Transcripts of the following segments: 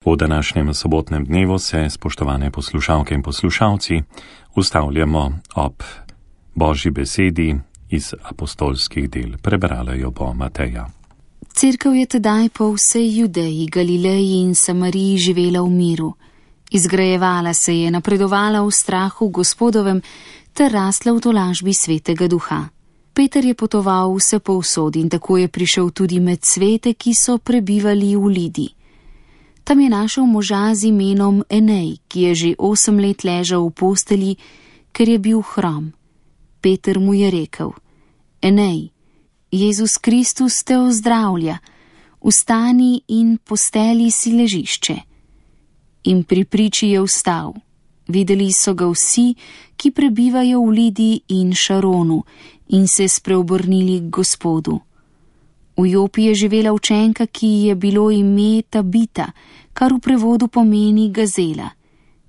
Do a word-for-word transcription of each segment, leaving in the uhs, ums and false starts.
V današnjem sobotnem dnevu se, spoštovane poslušalke in poslušalci, ustavljamo ob Božji besedi iz apostolskih del. Prebrala jo bo Mateja. Cerkev je tedaj po vsej Judeji, Galileji in Samariji živela v miru. Izgrajevala se je, napredovala v strahu Gospodovem ter rasla v tolažbi Svetega Duha. Peter je potoval vse povsod in tako je prišel tudi med svete, ki so prebivali v Lidi. Tam je našel moža z imenom Enej, ki je že osem let ležal v postelji, ker je bil hrom. Peter mu je rekel: Enej, Jezus Kristus te ozdravlja, vstani in posteli si ležišče. In pri priči je vstal. Videli so ga vsi, ki prebivajo v Lidi in Šaronu, in se spreobrnili k Gospodu. V Jopi je živela učenka, ki ji je bilo ime Tabita, kar v prevodu pomeni gazela.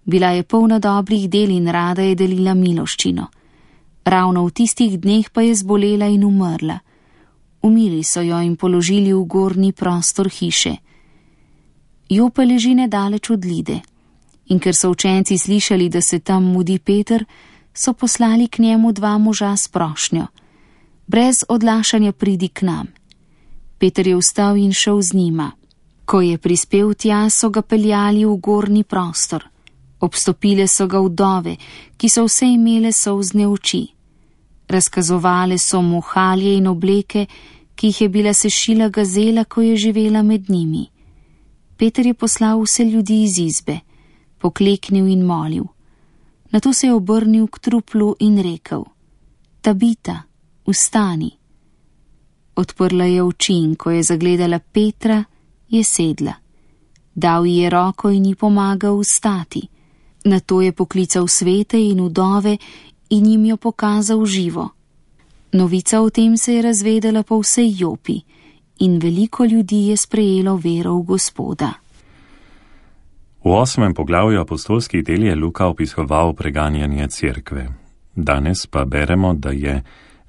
Bila je polna dobrih del in rada je delila miloščino. Ravno v tistih dneh pa je zbolela in umrla. Umili so jo in položili v gornji prostor hiše. Jopa leži nedaleč od Lide. In ker so učenci slišali, da se tam mudi Peter, so poslali k njemu dva moža s prošnjo: brez odlašanja pridi k nam. Peter je vstal in šel z njima. Ko je prispel tja, so ga peljali v gornji prostor. Obstopile so ga vdove, ki so vse imele solzne oči. Razkazovale so mu halje in obleke, ki jih je bila sešila gazela, ko je živela med njimi. Peter je poslal vse ljudi iz izbe, pokleknil in molil. Nato se je obrnil k truplu in rekel: Tabita, vstani. Odprla je oči in ko je zagledala Petra, je sedla. Dal ji je roko in ji pomagal vstati. Nato je poklical svete in vdove in jim jo pokazal živo. Novica o tem se je razvedela po vsej Jopi in veliko ljudi je sprejelo vero v Gospoda. V osmem poglavju apostolskih del je Luka opisoval preganjanje cerkve. Danes pa beremo, da je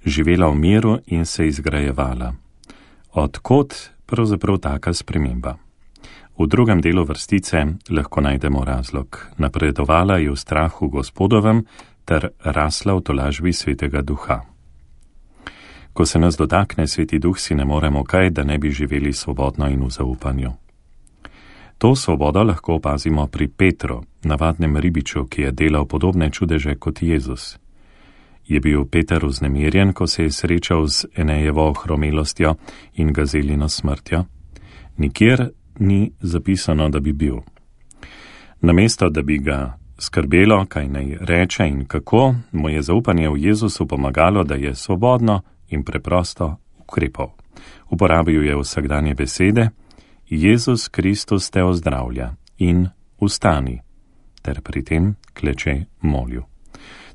živela v miru in se izgrajevala. Odkot pravzaprav taka sprememba? V drugem delu vrstice lahko najdemo razlog. Napredovala je v strahu Gospodovem ter rasla v tolažbi Svetega Duha. Ko se nas dotakne Sveti Duh, si ne moremo kaj, da ne bi živeli svobodno in v zaupanju. To svobodo lahko opazimo pri Petru, navadnem ribiču, ki je delal podobne čudeže kot Jezus. Je bil Peter vznemirjen, ko se je srečal z Enejevo ohromelostjo in gazelino smrtjo? Nikjer ni zapisano, da bi bil. Namesto, da bi ga skrbelo, kaj naj reče in kako, mu je zaupanje v Jezusu pomagalo, da je svobodno in preprosto ukrepal. Uporabil je vsakdanje besede: Jezus Kristus te ozdravlja in vstani, ter pri tem kleče molil.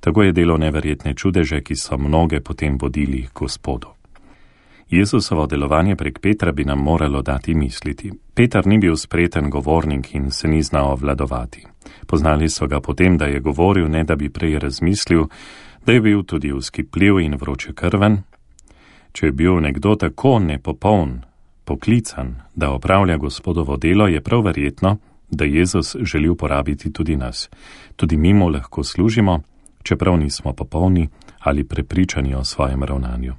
Tako je delo neverjetne čudeže, ki so mnoge potem vodili k Gospodu. Jezusovo delovanje prek Petra bi nam moralo dati misliti. Peter ni bil spreten govornik in se ni znal obvladovati. Poznali so ga potem, da je govoril, ne da bi prej razmislil, da je bil tudi vzkipljiv in vročekrven. Če je bil nekdo tako nepopoln, poklican, da opravlja Gospodovo delo, je prav verjetno, da Jezus želi uporabiti tudi nas. Tudi mi mu lahko služimo, čeprav nismo popolni ali prepričani o svojem ravnanju.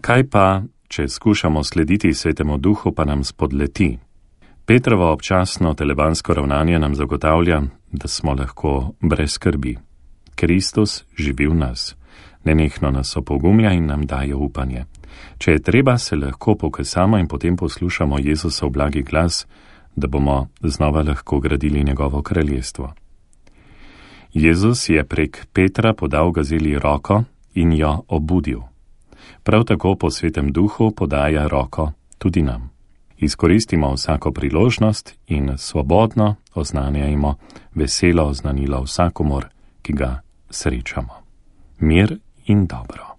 Kaj pa, če skušamo slediti Svetemu Duhu, pa nam spodleti? Petrovo občasno telebansko ravnanje nam zagotavlja, da smo lahko brez skrbi. Kristus živi v nas. Nenehno nas opogumlja in nam daje upanje. Če je treba, se lahko pokesamo in potem poslušamo Jezusov blagi glas, da bomo znova lahko gradili njegovo kraljestvo. Jezus je prek Petra podal gazeli roko in jo obudil. Prav tako po Svetem Duhu podaja roko tudi nam. Izkoristimo vsako priložnost in svobodno oznanjajmo veselo oznanilo vsakomur, ki ga srečamo. Mir in dobro.